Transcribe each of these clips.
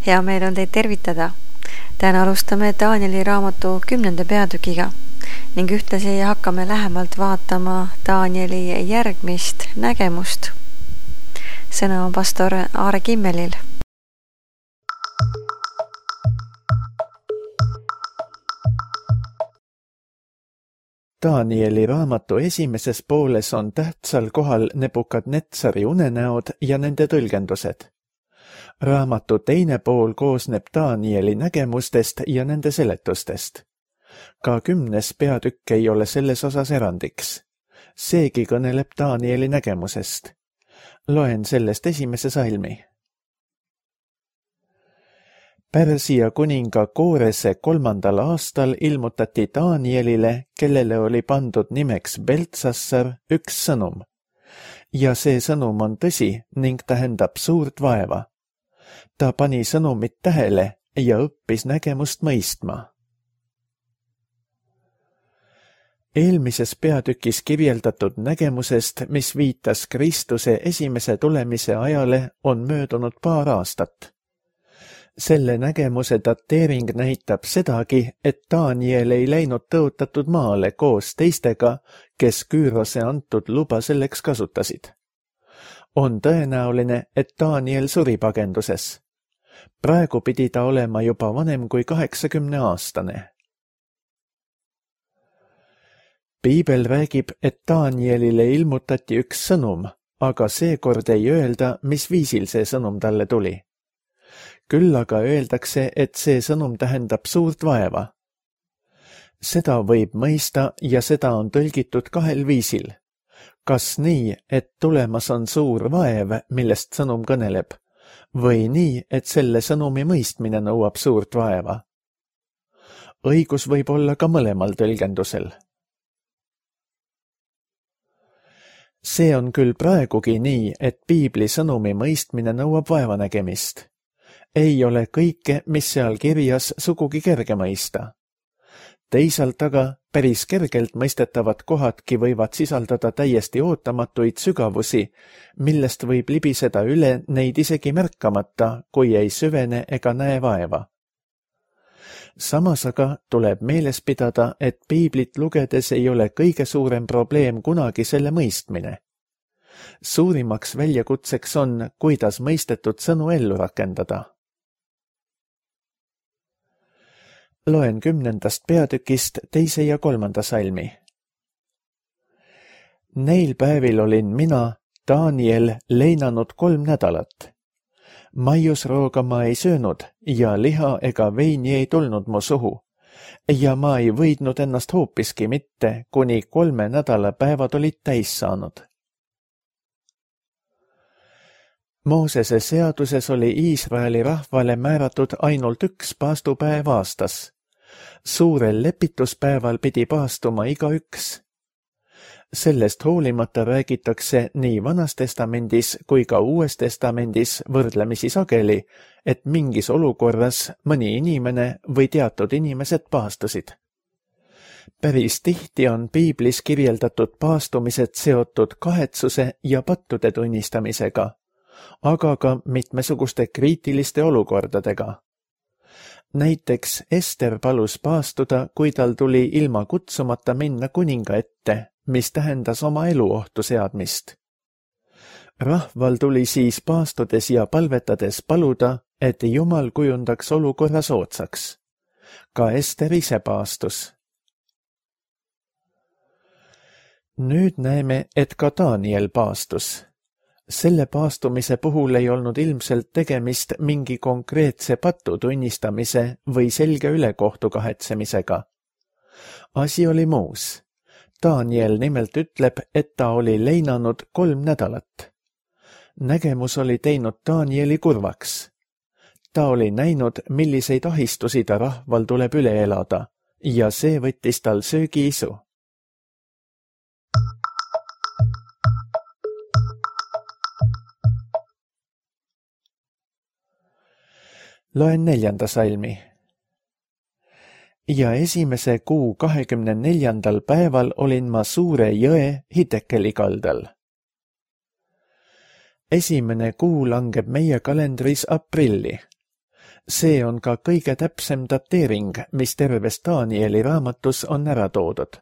Hea meel on teid tervitada. Täna alustame Danieli raamatu 10. peatükiga ning ühtlasi hakkame lähemalt vaatama Danieli järgmist nägemust. Sõna on pastor Aare Kimmelil. Danieli raamatu esimeses pooles on tähtsal kohal Nebukadnetsari unenäod ja nende tõlgendused. Raamatu teine pool koosneb Danieli nägemustest ja nende seletustest. Ka 10. peatükk ei ole selles osas erandiks. Seegi kõneleb Danieli nägemusest. Loen sellest esimese salmi. Pärsia kuninga Koorese 3. aastal ilmutati Danielile, kellele oli pandud nimeks Beltsassar, üks sõnum. Ja see sõnum on tõsi ning tähendab suurt vaeva. Ta pani sõnumit tähele ja õppis nägemust mõistma. Eelmises peatükis kirjeldatud nägemusest, mis viitas Kristuse esimese tulemise ajale, on möödunud paar aastat. Selle nägemuse dateering näitab sedagi, et Daniel ei läinud tõotatud maale koos teistega, kes Küürose antud luba selleks kasutasid. On tõenäoline, et Daniel suri pagenduses. Praegu pidi ta olema juba vanem kui 80-aastane. Piibel räägib, et Danielile ilmutati üks sõnum, aga seekord ei öelda, mis viisil see sõnum talle tuli. Küll aga öeldakse, et see sõnum tähendab suurt vaeva. Seda võib mõista ja seda on tõlgitud kahel viisil. Kas nii, et tulemas on suur vaev, millest sõnum kõneleb, või nii, et selle sõnumi mõistmine nõuab suurt vaeva? Õigus võib olla ka mõlemal tõlgendusel. See on küll praegugi nii, et piibli sõnumi mõistmine nõuab vaevanägemist. Ei ole kõike, mis seal kirjas, sugugi kerge mõista. Teisalt aga päris kergelt mõistetavad kohadki võivad sisaldada täiesti ootamatuid sügavusi, millest võib libiseda üle neid isegi märkamata, kui ei süvene ega näe vaeva. Samas aga tuleb meeles pidada, et piiblit lugedes ei ole kõige suurem probleem kunagi selle mõistmine. Suurimaks väljakutseks on, kuidas mõistetud sõnu ellu rakendada. Loen 10. peatükist 2. ja 3. salmi. Neil päevil olin mina, Daniel, leinanud 3 nädalat. Maiusrooga ma ei söönud ja liha ega veini ei tulnud mu suhu. Ja ma ei võidnud ennast hoopiski mitte, kuni 3 nädala päevad olid täis saanud. Moosese seaduses oli Iisraeli rahvale määratud ainult 1 paastupäev aastas. Suurel lepituspäeval pidi paastuma igaüks. Sellest hoolimata räägitakse nii Vanas testamendis kui ka Uues testamendis võrdlemisi sageli, et mingis olukorras mõni inimene või teatud inimesed paastusid. Päris tihti on piiblis kirjeldatud paastumised seotud kahetsuse ja pattude tunnistamisega, aga ka mitmesuguste kriitiliste olukordadega. Näiteks Ester palus paastuda, kui tal tuli ilma kutsumata minna kuninga ette, mis tähendas oma elu ohtu seadmist. Rahval tuli siis paastudes ja palvetades paluda, et Jumal kujundaks olukorra soodsaks. Ka Ester ise paastus. Nüüd näeme, et ka Daniel paastus. Selle paastumise puhul ei olnud ilmselt tegemist mingi konkreetse patu tunnistamise või selge ülekohtu kahetsemisega. Asi oli muus. Daniel nimelt ütleb, et ta oli leinanud 3 nädalat. Nägemus oli teinud Danieli kurvaks. Ta oli näinud, milliseid ahistusi ta rahval tuleb üle elada ja see võttis tal söögiisu. Loen 4. salmi. Ja esimese kuu 24. päeval olin ma suure jõe Hitekeli kaldal. Esimene kuu langeb meie kalendris aprilli. See on ka kõige täpsem dateering, mis terves Danieli raamatus on ära toodud.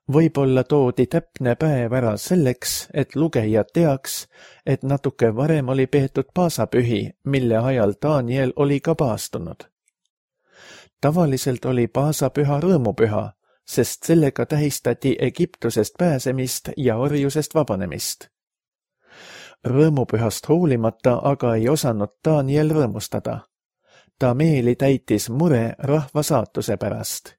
Võib-olla toodi täpne päev ära selleks, et lugeja teaks, et natuke varem oli peetud paasapühi, mille ajal Daniel oli ka paastunud. Tavaliselt oli paasapüha rõõmupüha, sest sellega tähistati Egiptusest pääsemist ja orjusest vabanemist. Rõõmupühast hoolimata aga ei osanud Daniel rõõmustada. Ta meeli täitis mure rahva saatuse pärast.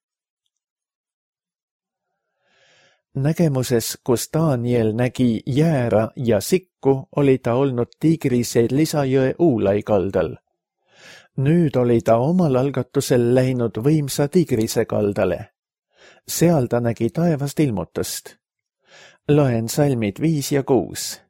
Nägemuses, kus Daniel nägi jäära ja sikku, oli ta olnud Tigrise lisajõe Uulai kaldal. Nüüd oli ta omal algatusel läinud võimsa Tigrise kaldale. Seal ta nägi taevast ilmutust. Loen salmid 5 ja 6.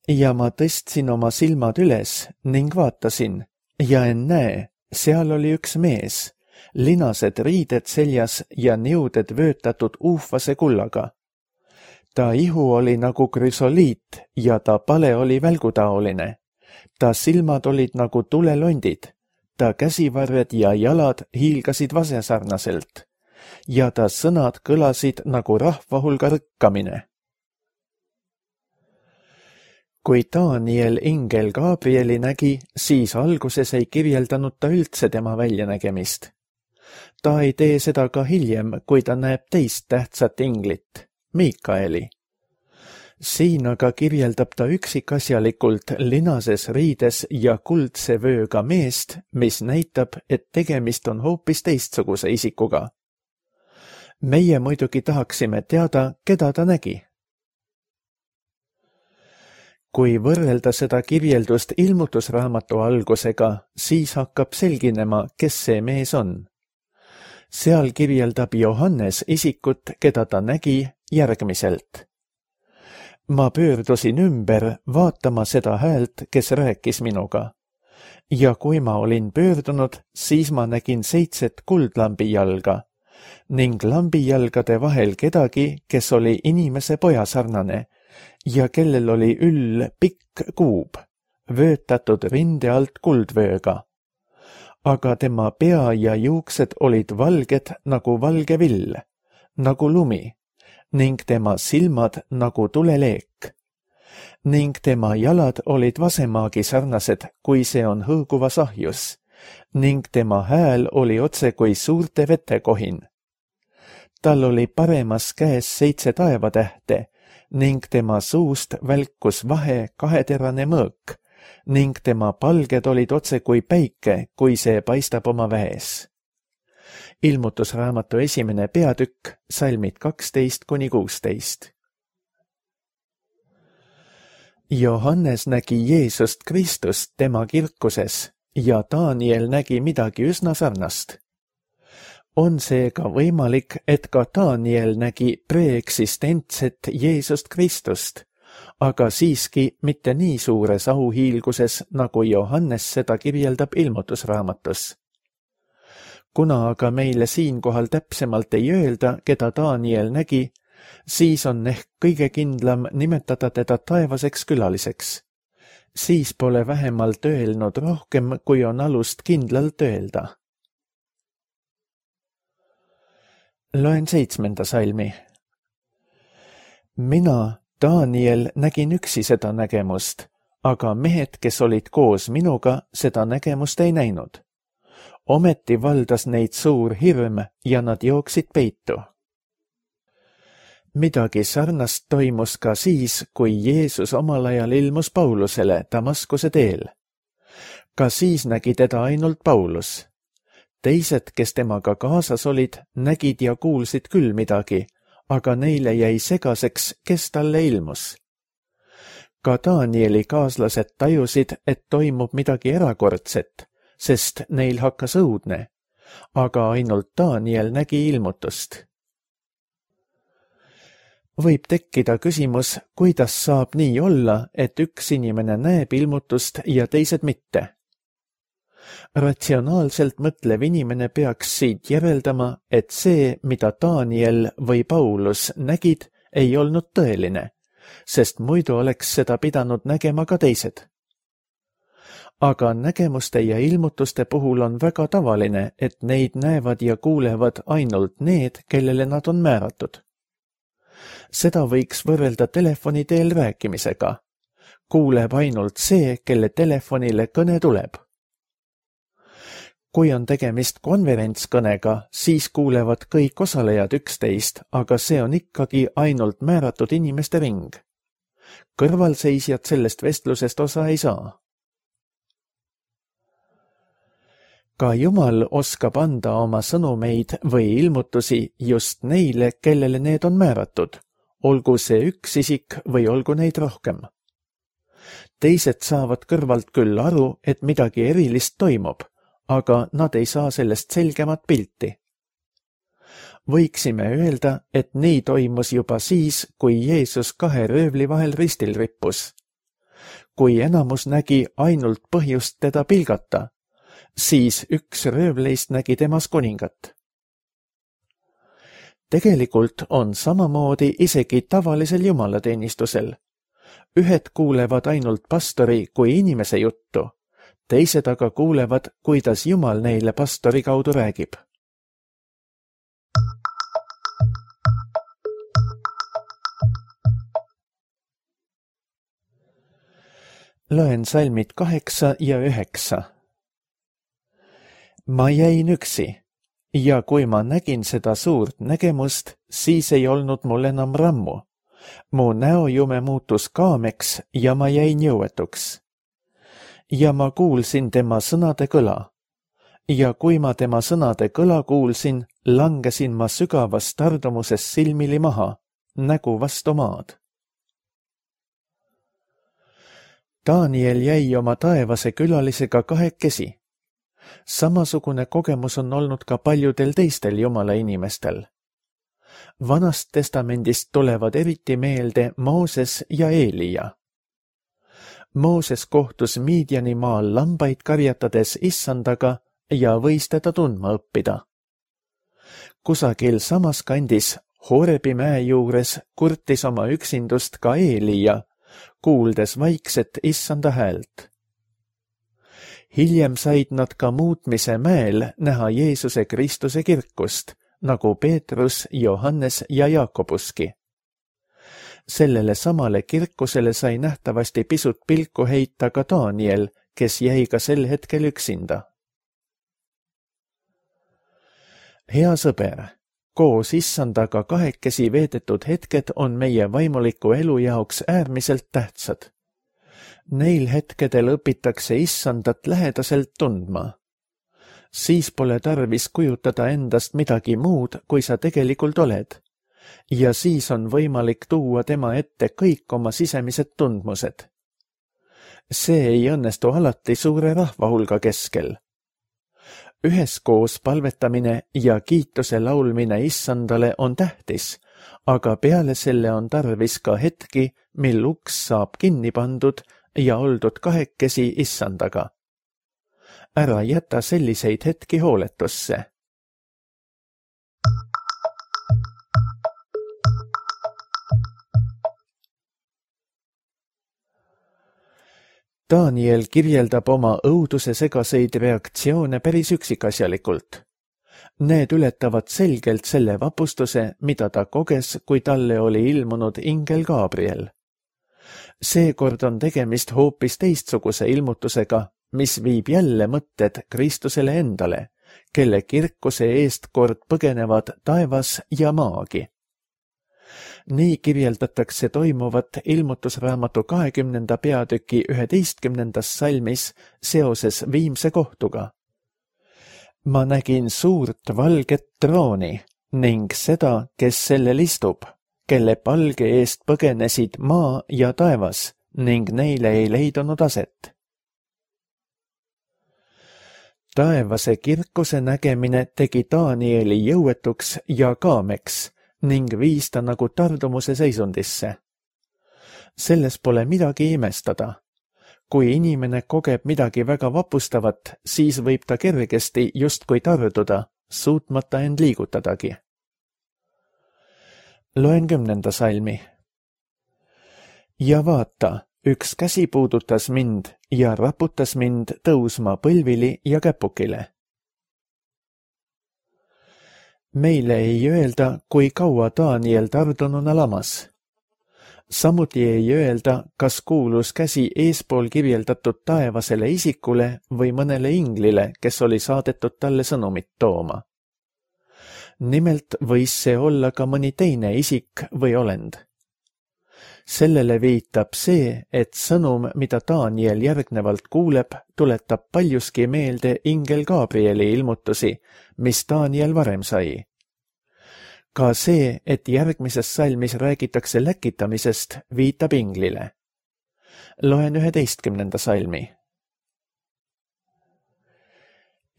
Ja ma tõstsin oma silmad üles ning vaatasin, ja ennäe, seal oli üks mees, linased riided seljas ja niuded vöötatud uufase kullaga. Ta ihu oli nagu krüsoliit ja ta pale oli välgutaoline. Ta silmad olid nagu tulelondid, ta käsivarred ja jalad hiilgasid vasesarnaselt ja ta sõnad kõlasid nagu rahva hulga rõkkamine. Kui Daniel ingel Gabrieli nägi, siis alguses ei kirjeldanud ta üldse tema väljanägemist. Ta ei tee seda ka hiljem, kui ta näeb teist tähtsat inglit, Miikaeli. Siin aga kirjeldab ta üksikasjalikult linases riides ja kuldse vööga meest, mis näitab, et tegemist on hoopis teistsuguse isikuga. Meie muidugi tahaksime teada, keda ta nägi. Kui võrrelda seda kirjeldust ilmutusraamatu algusega, siis hakkab selginema, kes see mees on. Seal kirjeldab Johannes isikut, keda ta nägi järgmiselt. Ma pöördusin ümber vaatama seda häält, kes rääkis minuga. Ja kui ma olin pöördunud, siis ma nägin 7 kuldlambi jalga ning lambijalgade vahel kedagi, kes oli inimese poja sarnane ja kellel oli üll pikk kuub, vöötatud rinde alt kuldvööga. Aga tema pea ja juuksed olid valged nagu valge vill, nagu lumi, ning tema silmad nagu tuleleek. Ning tema jalad olid vasemaagi sarnased, kui see on hõõguvas ahjus, ning tema hääl oli otse kui suurte vetekohin. Tal oli paremas käes 7 taevatähte, ning tema suust välkus vahe 2-terane mõõk, ning tema palged olid otse kui päike, kui see paistab oma väes. Ilmutusraamatu 1. peatükk, salmid 12-16. Johannes nägi Jeesust Kristust tema kirkuses ja Daniel nägi midagi üsna sarnast. On seega võimalik, et ka Daniel nägi preeksistentset Jeesust Kristust, aga siiski mitte nii suures auhiilguses, nagu Johannes seda kirjeldab ilmutusraamatus. Kuna aga meile siinkohal täpsemalt ei öelda, keda Daniel nägi, siis on ehk kõige kindlam nimetada teda taevaseks külaliseks. Siis pole vähemalt öelnud rohkem, kui on alust kindlalt öelda. Loen 7. salmi. Mina, Daniel, nägin üksi seda nägemust, aga mehed, kes olid koos minuga, seda nägemust ei näinud. Ometi valdas neid suur hirm ja nad jooksid peitu. Midagi sarnast toimus ka siis, kui Jeesus omal ajal ilmus Paulusele Damaskuse teel. Ka siis nägi teda ainult Paulus. Teised, kes temaga kaasas olid, nägid ja kuulsid küll midagi, aga neile jäi segaseks, kes talle ilmus. Ka Danieli kaaslased tajusid, et toimub midagi erakordset, sest neil hakkas õudne, aga ainult Daniel nägi ilmutust. Võib tekkida küsimus, kuidas saab nii olla, et üks inimene näeb ilmutust ja teised mitte. Ratsionaalselt mõtlev inimene peaks siit järeldama, et see, mida Daniel või Paulus nägid, ei olnud tõeline, sest muidu oleks seda pidanud nägema ka teised. aga nägemuste ja ilmutuste puhul on väga tavaline, et neid näevad ja kuulevad ainult need, kellele nad on määratud. Seda võiks võrrelda telefoni teel rääkimisega. Kuuleb ainult see, kelle telefonile kõne tuleb. Kui on tegemist konverentskõnega, siis kuulevad kõik osalejad üksteist, aga see on ikkagi ainult määratud inimeste ring. Kõrvalseisjad sellest vestlusest osa ei saa. Ka Jumal oskab anda oma sõnumeid või ilmutusi just neile, kellele need on määratud, olgu see üks isik või olgu neid rohkem. Teised saavad kõrvalt küll aru, et midagi erilist toimub, aga nad ei saa sellest selgemat pilti. Võiksime öelda, et nii toimus juba siis, kui Jeesus 2 röövli vahel ristil rippus. Kui enamus nägi ainult põhjust teda pilgata, siis üks röövleist nägi temas kuningat. Tegelikult on samamoodi isegi tavalisel jumalateenistusel. Ühed kuulevad ainult pastori kui inimese juttu, teised aga kuulevad, kuidas Jumal neile pastori kaudu räägib. Loen salmid 8 ja 9. Ma jäin üksi ja kui ma nägin seda suurt nägemust, siis ei olnud mul enam rammu. Mu näojume muutus kaameks ja ma jäin jõuetuks. Ja ma kuulsin tema sõnade kõla. Ja kui ma tema sõnade kõla kuulsin, langesin ma sügavas tardumuses silmili maha, nägu vastu maad. Daniel jäi oma taevase külalisega kahekesi. Samasugune kogemus on olnud ka paljudel teistel Jumala inimestel. Vanast testamendist tulevad eriti meelde Mooses ja Eelia. Mooses kohtus Midiani maal lambaid karjatades Issandaga ja võis teda tundma õppida. Kusagil samas kandis Horebi mäe juures kurtis oma üksindust ka Eelia, kuuldes vaikset Issanda häält. Hiljem said nad ka muutmise mäel näha Jeesuse Kristuse kirkust, nagu Peetrus, Johannes ja Jaakobuski. Sellele samale kirkusele sai nähtavasti pisut pilku heita ka Daniel, kes jäi ka sel hetkel üksinda. Hea sõber, koos Issandaga kahekesi veedetud hetked on meie vaimuliku elu jaoks äärmiselt tähtsad. Neil hetkedel õpitakse Issandat lähedaselt tundma. Siis pole tarvis kujutada endast midagi muud, kui sa tegelikult oled. Ja siis on võimalik tuua tema ette kõik oma sisemised tundmused. See ei õnnestu alati suure rahvahulga keskel. Üheskoos palvetamine ja kiituse laulmine Issandale on tähtis, aga peale selle on tarvis ka hetki, mil uks saab kinni pandud ja oldud kahekesi Issandaga. Ära jäta selliseid hetki hooletusse. Daniel kirjeldab oma õuduse segaseid reaktsioone päris üksikasjalikult. Need ületavad selgelt selle vapustuse, mida ta koges, kui talle oli ilmunud ingel Gabriel. Seekord on tegemist hoopis teistsuguse ilmutusega, mis viib jälle mõtted Kristusele endale, kelle kirkuse eest kord põgenevad taevas ja maagi. Nii kirjeldatakse toimuvat ilmutusraamatu 20. peatüki 11. salmis seoses viimse kohtuga. Ma nägin suurt valget trooni ning seda, kes sellel istub, kelle palge eest põgenesid maa ja taevas ning neile ei leidunud aset. Taevase kirkuse nägemine tegi Danieli jõuetuks ja kaameks ning viis ta nagu tardumuse seisundisse. Selles pole midagi imestada. Kui inimene kogeb midagi väga vapustavat, siis võib ta kergesti justkui tarduda, suutmata end liigutadagi. Loen 10. salmi. Ja vaata, Üks käsi puudutas mind ja raputas mind tõusma põlvili ja käpukile. Meile ei öelda, kui kaua Daniel tardununa lamas. Samuti ei öelda, kas kuulus käsi eespool kirjeldatud taevasele isikule või mõnele inglile, kes oli saadetud talle sõnumit tooma. Nimelt võis see olla ka mõni teine isik või olend. Sellele viitab see, et sõnum, mida Daniel järgnevalt kuuleb, tuletab paljuski meelde ingel Gabrieli ilmutusi, mis Daniel varem sai. Ka see, et järgmises salmis räägitakse läkitamisest, viitab inglile. Loen 11. salmi.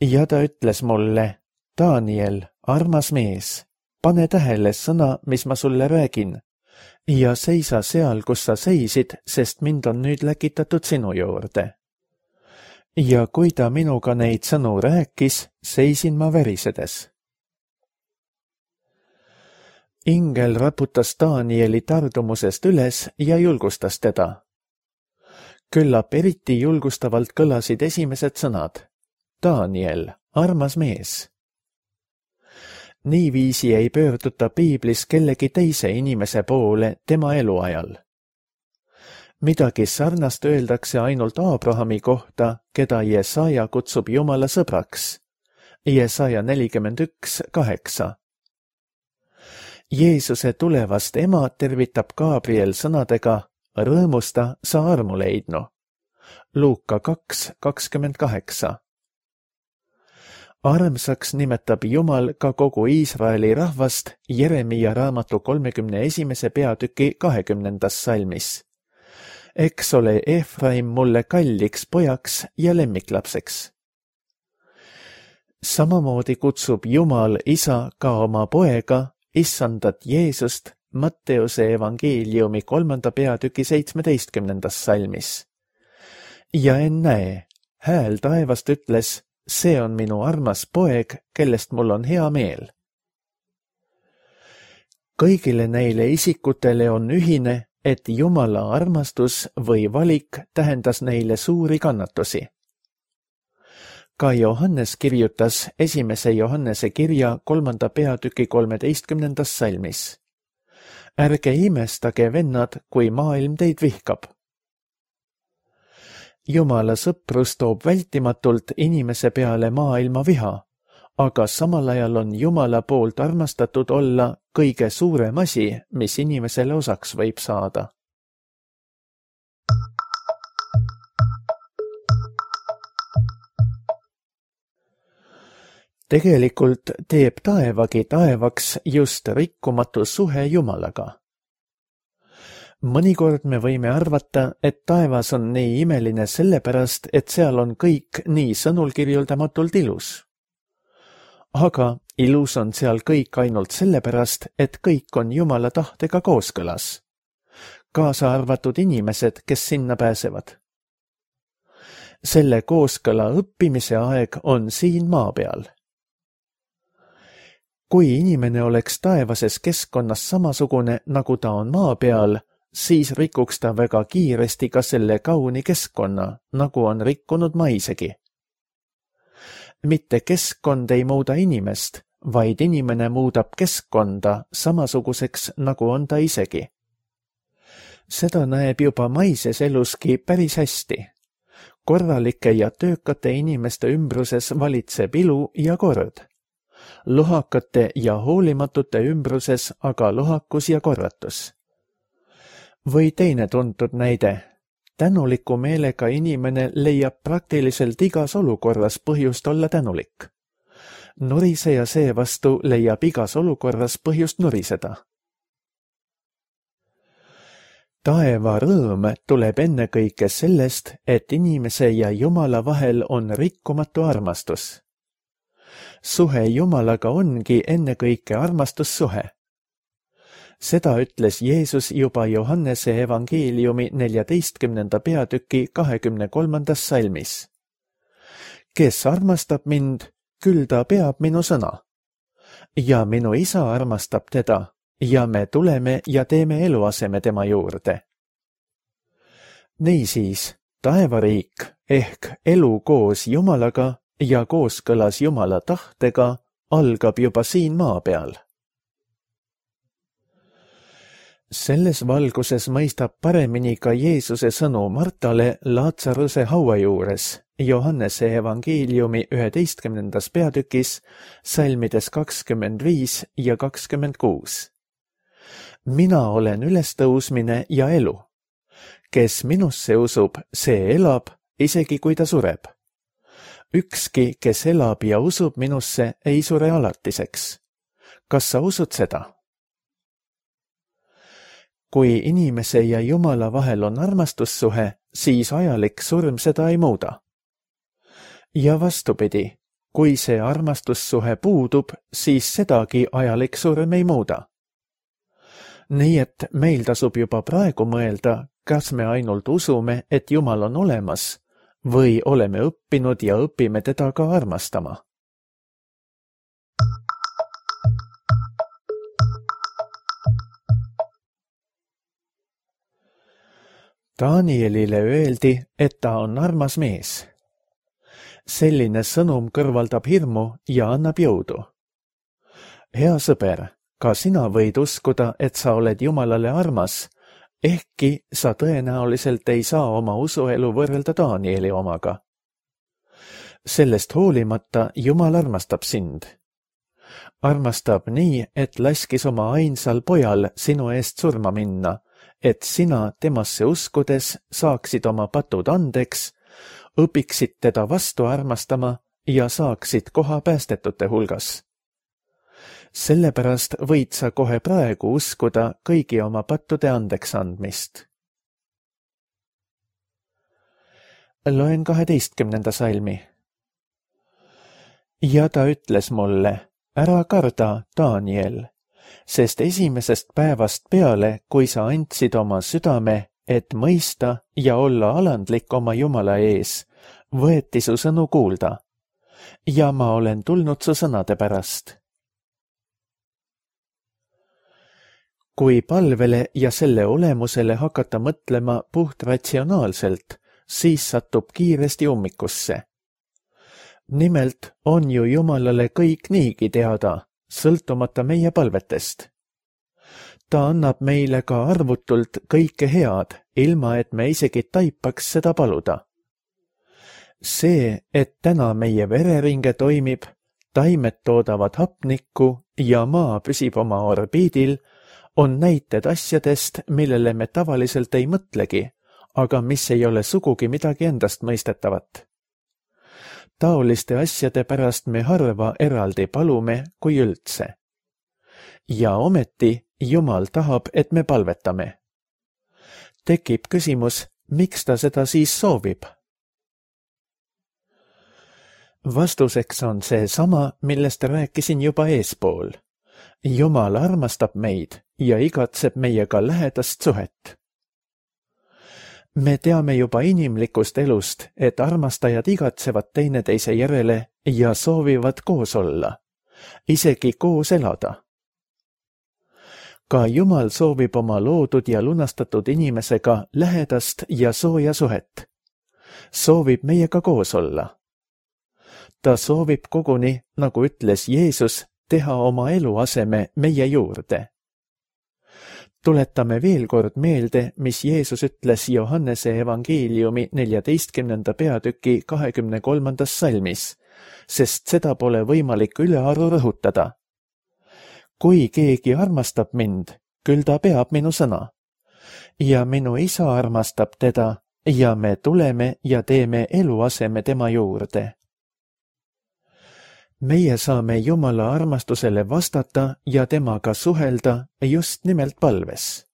Ja ta ütles mulle, Daniel, armas mees, pane tähele sõna, mis ma sulle räägin, ja seisa seal, kus sa seisid, sest mind on nüüd läkitatud sinu juurde. Ja kui ta minuga neid sõnu rääkis, seisin ma verisedes. Ingel raputas Danieli tardumusest üles ja julgustas teda. Küllap eriti julgustavalt kõlasid esimesed sõnad. Daniel, armas mees. Niiviisi ei pöörduta piiblis kellegi teise inimese poole tema eluajal. Midagi sarnast öeldakse ainult Abrahami kohta, keda Jesaja kutsub Jumala sõbraks. Jesaja 41:8. Jeesuse tulevast ema tervitab Gabriel sõnadega rõõmusta, sa armu leidnu. Luuka 2:28. Armsaks nimetab Jumal ka kogu Iisraeli rahvast Jeremia raamatu 31. peatüki 20. salmis. Eks ole Efraim mulle kalliks pojaks ja lemmiklapseks. Samamoodi kutsub Jumal isa ka oma poega, issandat Jeesust, Matteuse evangeeliumi 3. peatüki 17. salmis. Ja ennäe, hääl taevast ütles, see on minu armas poeg, kellest mul on hea meel. Kõigile neile isikutele on ühine, et Jumala armastus või valik tähendas neile suuri kannatusi. Ka Johannes kirjutas 1. Johannese kirja 3. peatüki 13. salmis. Ärge imestage, vennad, kui maailm teid vihkab. Jumala sõprus toob vältimatult inimese peale maailma viha, aga samal ajal on Jumala poolt armastatud olla kõige suurem asi, mis inimesele osaks võib saada. Tegelikult teeb taevagi taevaks just rikkumatu suhe Jumalaga. Mõnikord me võime arvata, et taevas on nii imeline sellepärast, et seal on kõik nii sõnulkirjeldamatult ilus. Aga ilus on seal kõik ainult sellepärast, et kõik on Jumala tahtega kooskõlas. Kaasa arvatud inimesed, kes sinna pääsevad. Selle kooskõla õppimise aeg on siin maa peal. Kui inimene oleks taevases keskkonnas samasugune, nagu ta on maa peal, siis rikuks ta väga kiiresti ka selle kauni keskkonna, nagu on rikkunud maisegi. Mitte keskkond ei muuda inimest, vaid inimene muudab keskkonda samasuguseks, nagu on ta isegi. Seda näeb juba maises eluski päris hästi. Korralike ja töökate inimeste ümbruses valitseb ilu ja kord. Lohakate ja hoolimatute ümbruses aga lohakus ja korratus. Või teine tuntud näide. Tänuliku meelega inimene leiab praktiliselt igas olukorras põhjust olla tänulik. Nuriseja seevastu leiab igas olukorras põhjust nuriseda. Taeva rõõm tuleb ennekõike sellest, et inimese ja Jumala vahel on rikkumatu armastus. Suhe Jumalaga ongi ennekõike armastussuhe. Seda ütles Jeesus juba Johannese evangeeliumi 14. peatüki 23. salmis. Kes armastab mind, küll ta peab minu sõna. Ja minu isa armastab teda, ja me tuleme ja teeme eluaseme tema juurde. Niisiis, taevariik ehk elu koos Jumalaga ja kooskõlas Jumala tahtega algab juba siin maa peal. Selles valguses mõistab paremini ka Jeesuse sõnu Martale Laatsaruse haua juures Johannese evangeeliumi 11. peatükis salmides 25 ja 26. Mina olen ülestõusmine ja elu. Kes minusse usub, see elab, isegi kui ta sureb. Ükski, kes elab ja usub minusse, ei sure alatiseks. Kas sa usud seda? Kui inimese ja Jumala vahel on armastussuhe, siis ajalik surm seda ei muuda. Ja vastupidi, kui see armastussuhe puudub, siis sedagi ajalik surm ei muuda. Nii et meil tasub juba praegu mõelda, kas me ainult usume, et Jumal on olemas, või oleme õppinud ja õpime teda ka armastama. Danielile öeldi, et ta on armas mees. Selline sõnum kõrvaldab hirmu ja annab jõudu. Hea sõber, ka sina võid uskuda, et sa oled Jumalale armas, ehkki sa tõenäoliselt ei saa oma usuelu võrrelda Danieli omaga. Sellest hoolimata Jumal armastab sind. Armastab nii, et laskis oma ainsal pojal sinu eest surma minna, et sina temasse uskudes saaksid oma patud andeks, õpiksid teda vastu armastama ja saaksid koha päästetute hulgas. Sellepärast võid sa kohe praegu uskuda kõigi oma pattude andeks andmist. Loen 12. salmi. Ja ta ütles mulle, ära karda, Daniel, sest esimesest päevast peale, kui sa andsid oma südame, et mõista ja olla alandlik oma Jumala ees, võeti su sõnu kuulda. Ja ma olen tulnud su sõnade pärast. Kui palvele ja selle olemusele hakata mõtlema puht ratsionaalselt, siis satub kiiresti ummikusse. Nimelt on ju Jumalale kõik niigi teada, sõltumata meie palvetest. Ta annab meile ka arvutult kõike head, ilma et me isegi taipaks seda paluda. See, et täna meie vereringe toimib, taimed toodavad hapnikku ja maa püsib oma orbiidil, on näited asjadest, millele me tavaliselt ei mõtlegi, aga mis ei ole sugugi midagi endast mõistetavat. Taoliste asjade pärast me harva eraldi palume kui üldse. Ja ometi Jumal tahab, et me palvetame. Tekib küsimus, miks ta seda siis soovib? Vastuseks on see sama, millest rääkisin juba eespool. Jumal armastab meid ja igatseb meiega lähedast suhet. Me teame juba inimlikust elust, et armastajad igatsevad teineteise järele ja soovivad koos olla, isegi koos elada. Ka Jumal soovib oma loodud ja lunastatud inimesega lähedast ja sooja suhet. Soovib meiega koos olla. Ta soovib koguni, nagu ütles Jeesus, teha oma eluaseme meie juurde. Tuletame veel kord meelde, mis Jeesus ütles Johannese evangeeliumi 14. peatüki 23. salmis, sest seda pole võimalik ülearu rõhutada. Kui keegi armastab mind, küll ta peab minu sõna. Ja minu isa armastab teda ja me tuleme ja teeme eluaseme tema juurde. Meie saame Jumala armastusele vastata ja temaga suhelda just nimelt palves.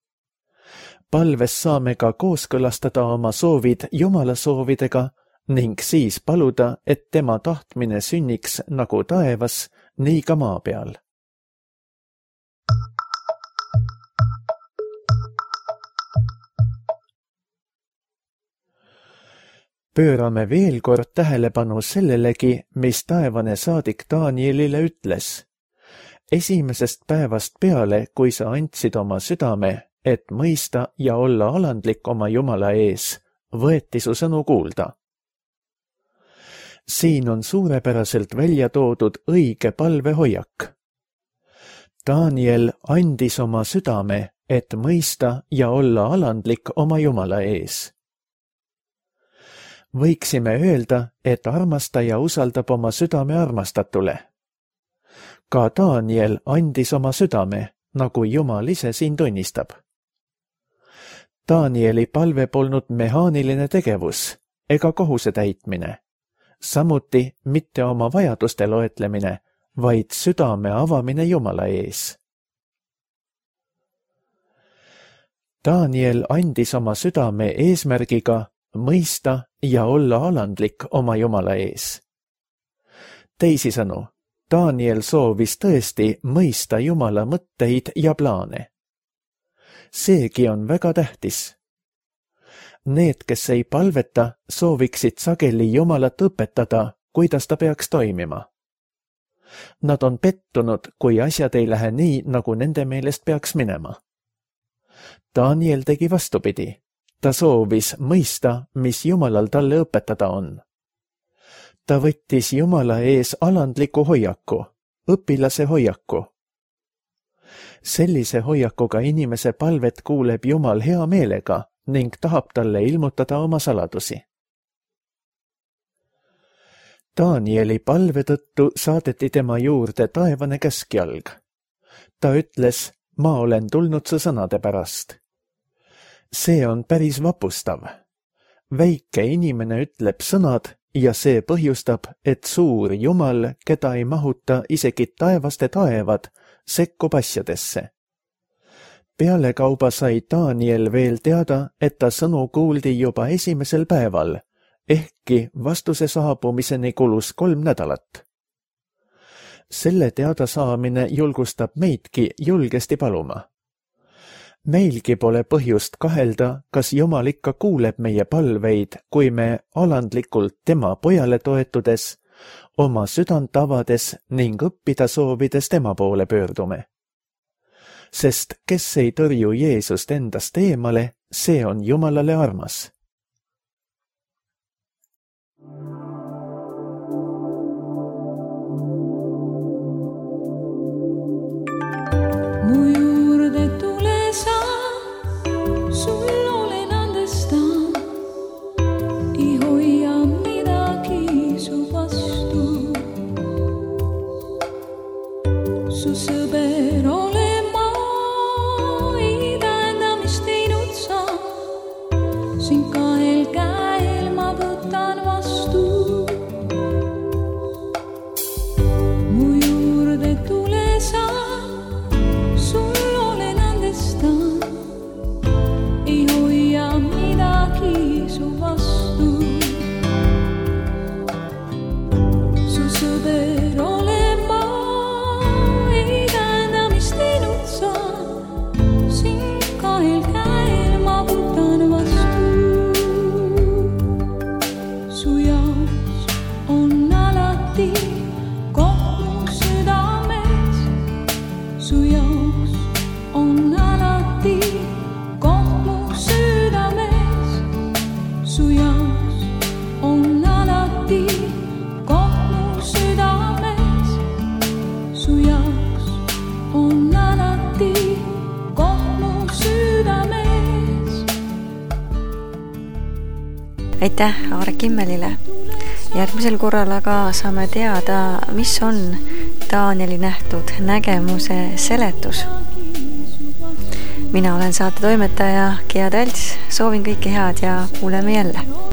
Palves saame ka kooskõlastada oma soovid Jumala soovidega ning siis paluda, et tema tahtmine sünniks nagu taevas, nii ka maa peal. Pöörame veel kord tähelepanu sellelegi, mis taevane saadik Danielile ütles. Esimesest päevast peale, kui sa andsid oma südame, et mõista ja olla alandlik oma Jumala ees, võeti su sõnu kuulda. Siin on suurepäraselt välja toodud õige palvehoiak. Daniel andis oma südame, et mõista ja olla alandlik oma Jumala ees. Võiksime öelda, et armastaja usaldab oma südame armastatule. Ka Daniel andis oma südame, nagu Jumal ise siin tunnistab. Danieli palve polnud mehaaniline tegevus ega kohuse täitmine, samuti mitte oma vajaduste loetlemine, vaid südame avamine Jumala ees. Daniel andis oma südame eesmärgiga mõista ja olla alandlik oma Jumala ees. Teisisõnu, Daniel soovis tõesti mõista Jumala mõtteid ja plaane. Seegi on väga tähtis. Need, kes ei palveta, sooviksid sageli Jumalat õpetada, kuidas ta peaks toimima. Nad on pettunud, kui asjad ei lähe nii, nagu nende meelest peaks minema. Daniel tegi vastupidi. Ta soovis mõista, mis Jumalal talle õpetada on. Ta võttis Jumala ees alandliku hoiaku, õpilase hoiaku. Sellise hoiakuga inimese palvet kuuleb Jumal hea meelega ning tahab talle ilmutada oma saladusi. Danieli palve tõttu saadeti tema juurde taevane käskjalg. Ta ütles, ma olen tulnud su sõnade pärast. See on päris vapustav. Väike inimene ütleb sõnad ja see põhjustab, et suur Jumal, keda ei mahuta isegi taevaste taevad, sekkub asjadesse. Pealekauba sai Daniel veel teada, et ta sõnu kuuldi juba esimesel päeval, ehkki vastuse saabumiseni kulus 3 nädalat. Selle teadasaamine julgustab meidki julgesti paluma. Meilgi pole põhjust kahelda, kas Jumal ikka kuuleb meie palveid, kui me alandlikult tema pojale toetudes, oma südant avades ning õppida soovides tema poole pöördume. Sest kes ei tõrju Jeesust endast eemale, see on Jumalale armas. Su sõber ole ma, ei tähenda, mis teinud sa. Sind kahel käel ma võtan vastu. Mu juurde tule sa, sul olen andestan. Ei hoia midagi su vastu. Su sõber ole aitäh Aare Kimmelile. Järgmisel korral aga saame teada, mis on Danieli nähtud nägemuse seletus. Mina olen saate toimetaja Gea Talts, soovin kõike head ja kuuleme jälle.